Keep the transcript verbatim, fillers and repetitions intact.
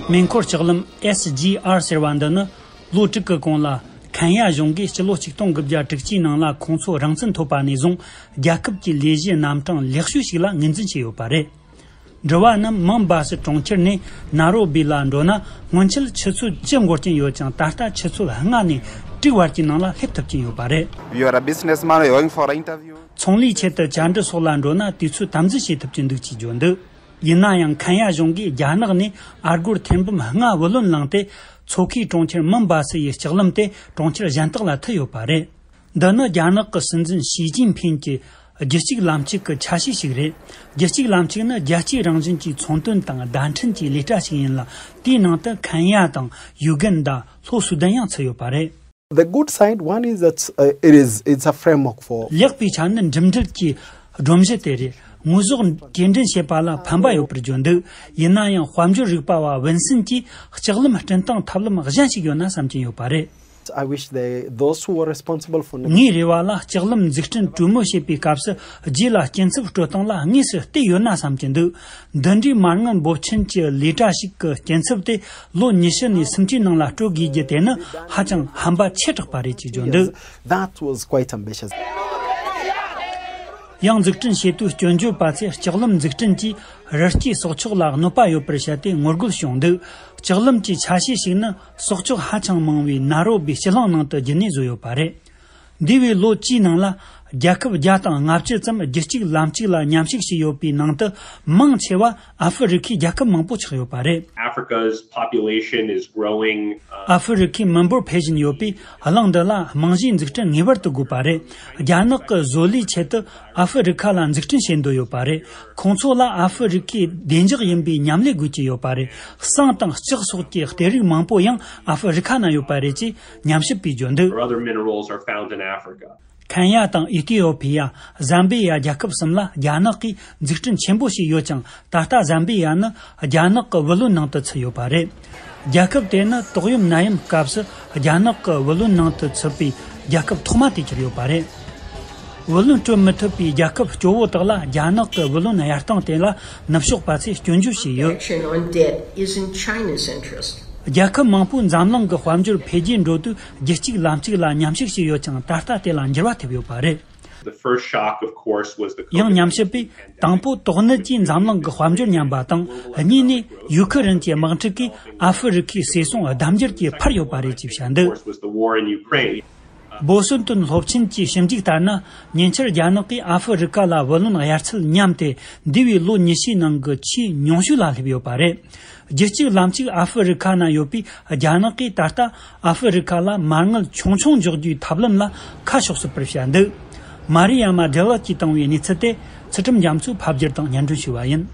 མེ་འཁོར་ལྕགས་ལམ་S G R ཟེར་བ་འདི་ནི་ལོ་དྲུག་གི་གོང་ལ་ཁེན་ཡ་གཞུང་གིས་སྤྱི་ལོ་ཆིག་སྟོང་དགུ་བརྒྱ་དྲུག་ཅུའི་ནང་ལ་ཁོང་ཚོ་རང་བཙན་ཐོབ་པ་ནས་བཟུང་རྒྱལ་ཁབ་ཀྱི་ལས་གཞི་རྣམ་གྲངས་ལེགས་ཤོས་ཤིག་ལ་ངོས་འཛིན་བྱས་ཡོད་པ་རེད། འགྲུལ་བ་རྣམས་མོམ་བྷ་སི་གྲོང་ཁྱེར་ནས་ན་རོ་བི་ལ་འགྲོ་ན་སྔོན་ཆད་ཆུ་ཚོད་བཅུ་འགོར་གྱིན་ཡོད་ཀྱང་། ད་ལྟ་ཆུ་ཚོད་ལྔ་ནས་དྲུག་བར་གྱི་ནང་ལ་སླེབས་ཐུབ་ཀྱིན་ཡོད་པ་རེད། If you are a businessman, you're going for an interview. ཚོང་ལས་ཆེད་དུ་བཅར་འདྲི་སོགས་ལ་འགྲོ་ན་དུས་ཚོད་དམ་འཛིན་བྱེད་ཐུབ་ཀྱི་འདུག་ཅེས་བརྗོད་འདུག་ཡིན་ན་ཡང་ཁེན་ཡ་གཞུང་གིས་རྒྱ་ནག་ནས་ཨར་སྒོར་ཐེར་འབུམ་ལྔ་བུ་ལོན་བླངས་ཏེ། མཚོ་ཁའི་གྲོང་ཁྱེར་མུམ་བྷ་སི་ཡི་ལྕགས་ལམ་དེ་གྲོང་ཁྱེར་གཞན་དག་ལ་མཐུད་ཡོད་པ་རེད། འདི་ནི་རྒྱ་ནག་གི་སྲིད་འཛིན་ཞི་ཅིན་ཕིན་གྱི་རྒྱུད་གཅིག་ལམ་གཅིག་གི་ཆ་ཤས་ཤིག་རེད། རྒྱུད་གཅིག་ལམ་གཅིག་ནི་རྒྱལ་སྤྱིའི་རང་བཞིན་གྱི་ཚོང་དོན་དང་བརྡ་འཕྲིན་གྱི་ལས་གྲྭ་ཞིག་ཡིན་ལ། དེའི་ནང་དུ་ཁེན་ཡ་དང་ཡུ་གན་ཌ། ལྷོ་སུ་དན་ཡང་ཚུད་ཡོད་པ་རེད། The good side, one is that, uh, it is, it's a framework for. ལེགས་པའི་ཆ་ནི་འགྲིམ་འགྲུལ་གྱི་སྒྲོམ་གཞི་དེ་རེད། དངོས་ཟོག་སྐྱེལ་འདྲེན་བྱེད་པ་ལ་ཕན་པ་ཡོད་པར་བརྗོད་འདུག་ཡིན་ན་ཡང་དཔལ་འབྱོར་རིག་པ་བ་ཝིན་སན་གྱིས་ལྕགས་ལམ་སྐྲུན་སྟངས་ཐབས་ལམ་གཞན་ཞིག་ཡོད་ན་བསམ་གྱིན་ཡོད་པ་རེད། I wish they, those who were responsible for. ངའི་རེ་བ་ལ་ལྕགས་ལམ་འཛུགས་སྐྲུན་གྲོས་མོལ་བྱེད་པའི་སྐབས་སུ་རྗེས་ལ་སྐྱིན་ཚབ་སྤྲོད་སྟངས་ལ་དངོས་སུ་བལྟས་ཡོད་ན་བསམ་གྱི་འདུག་འདི་འདྲའི་མ་དངུལ་འབོར་ཆེན་གྱི་ལས་གྲྭ་ཞིག་གི་སྐྱིན་ཚབ་དེ་ལོ་ཉི་ཤུ་ནས་སུམ་ཅུའི་ནང་ལ་སྤྲོད་དགོས་རྒྱུ་དེ་ནི་ཧ་ཅང་ཧམ་པ་ཆེ་དྲགས་པ་རེད་ཅེས་བརྗོད་འདུག That was quite ambitious. ཡང་འཛུགས་སྐྲུན་བྱེད་དུས་སྐྱོན་བརྗོད་པ་ཚོས་ལྕགས་ལམ་འཛུགས་སྐྲུན་གྱིས་རི་སྐྱེས་སྲོག་ཆགས་ལ་གནོད་པ་ཡོད་པར་བཤད་དེ་ངོ་རྒོལ་བྱུང་འདུག་ལྕགས་ལམ་གྱི་ཆ་ཤས་ཤིག་ནི་སྲོག་ཆགས་ཧ་ཅང་མང་བའི་ན་རོ་བི་སྤྱི་གླིང་ནང་དུ་བརྒྱུད་ནས་བཟོས་ཡོད་པ་རེད། འདས་པའི་ལོ་བཅུའི་ནང་ལ་རྒྱལ་ཁབ་བརྒྱ་དང་ལྔ་བཅུ་ཙམ་རྒྱུད་གཅིག་ལམ་གཅིག་ལ་མཉམ་ཞུགས་བྱས་ཡོད་པའི་ནང་དུ་མང་ཆེ་བ་ཨ་ཧྥེ་རི་ཁའི་རྒྱལ་ཁབ་མང་པོ་ཆགས་ཡོད་པ་རེད། Africa's population is growing. ཨ་ཧྥེ་རི་ཁའི་མི་འབོར་འཕེལ་བཞིན་ཡོད་པས། གླིང་འདི་ལ་རྨང་གཞིའི་འཛུགས་སྐྲུན་ངེས་པར་དུ་དགོས་པ་རེད། རྒྱ་ནག་གི་བཟོ་ལས་ཆེད་དུ་ཨ་ཧྥེ་རི་ཁ་ལ་འཛུགས་སྐྲུན་བྱེད་འདོད་ཡོད་པ་རེད། ཁོང་ཚོ་ལ་ཨ་ཧྥེ་རི་ཁའི་བདེ་འཇགས་ཡིན་པའི་མཉམ་ལས་དགོས་ཀྱི་ཡོད་པ་རེད། ཟངས་དང་ལྕགས་སོགས་ཀྱི་གཏེར་རིགས་མང་པོ་ཡང་ཨ་ཧྥེ་རི་ཁ་ན་ཡོད་པ་རེད་ཅེས་ཉམས་ཞིབ་པས་བརྗོད་འདུག Other minerals are found in Africa. ཁེན་ཡ་དང་ཨི་ཐི་ཡོ་ཕི་ཡ། ཟམ་བི་ཡ་རྒྱལ་ཁབ་གསུམ་ལ་རྒྱ་ནག་གིས་འཛུགས་སྐྲུན་ཆེན་པོ་བྱས་ཡོད་ཀྱང་། ད་ལྟ་ཟམ་བི་ཡ་ནི་རྒྱ་ནག་གི་བུ་ལོན་ནང་དུ་ཚུད་ཡོད་པ་རེད། རྒྱལ་ཁབ་དེ་ནི་ཏོག་གཡམ་ནད་ཡམས་སྐབས་སུ་རྒྱ་ནག་གི་བུ་ལོན་ནང་དུ་ཚུད་པའི་རྒྱལ་ཁབ་ཐོག་མ་དེ་གྱུར་ཡོད་པ་རེད། བུ་ལོན་སྤྲོད་མི་ཐུབ་པའི་རྒྱལ་ཁབ་སྐྱོ་བོ་དག་ལ་རྒྱ་ནག་གི་བུ་ལོན་གཡར་སྟངས་དེ་ལ་ནུབ་ཕྱོགས་པ་ཚོས་སྐྱོན་བརྗོད་བྱས་ཡོད། Collection on debt is in China's interest. རྒྱལ་ཁབ་མང་པོའི་འཛམ་གླིང་གི་དཔལ་འབྱོར་འཕེལ་རྒྱས་འགྲོ་དུས་རྒྱུད་གཅིག་ལམ་གཅིག་ལ་མཉམ་ཞུགས་བྱས་ཡོད་ཀྱང་། ད་ལྟ་དེ་ལ་འགྱུར་བ་ཐེབས་ཡོད་པ་རེད། The first shock, of course, was the COVID nineteen pandemic. ཡང་ཉམས་ཞིབ་པས་དང་པོ་དོགས་གནད་ཀྱིས་འཛམ་གླིང་གི་དཔལ་འབྱོར་ཉམས་པ་དང་། གཉིས་ནས་ཡུ་ཁུ་རེན་གྱི་དམག་འཁྲུག་གིས་ཨ་ཧྥེ་རི་ཁའི་ཟས་སོང་ལྡབ་འགྱུར་གྱིས་འཕར་ཡོད་པ་རེད་ཅེས་བཤད་འདུག Of course, was the war in Ukraine. བོ་སི་ཏོན་སློབ་ཆེན་གྱི་ཞིབ་འཇུག་ལྟར་ན། ཉེ་ཆར་རྒྱ་ནག་གིས་ཨ་ཧྥེ་རི་ཁ་ལ་བུ་ལོན་གཡར་ཚད་ཉམས་ཏེ། འདས་པའི་ལོ་ཉི་ཤུའི་ནང་གི་ཆེས་ཉུང་ཤོས་ལ་སླེབས་ཡོད་པ་རེད། རྒྱུད་གཅིག་ལམ་གཅིག་ཨ་ཧྥེ་རི་ཁ་ན་ཡོད་པས། རྒྱ་ནག་གིས་ད་ལྟ་ཨ་ཧྥེ་རི་ཁ་ལ་མ་དངུལ་ཆུང་ཆུང་འཇོག་རྒྱུའི་ཐབས་ལམ་ལ་ཁ་ཕྱོགས་སྲིད་པར་བཤད་འདུག་མ་རི་ཡ་མ་ཌེ་ལགས་ཀྱིས་བཏང་བའི་གནས་ཚུལ་དེ་ཚུལ་ཁྲིམས་རྒྱ་མཚོས་ཕབ་བསྒྱུར་དང་སྙན་སྒྲོན་ཞུས་པ་ཡིན།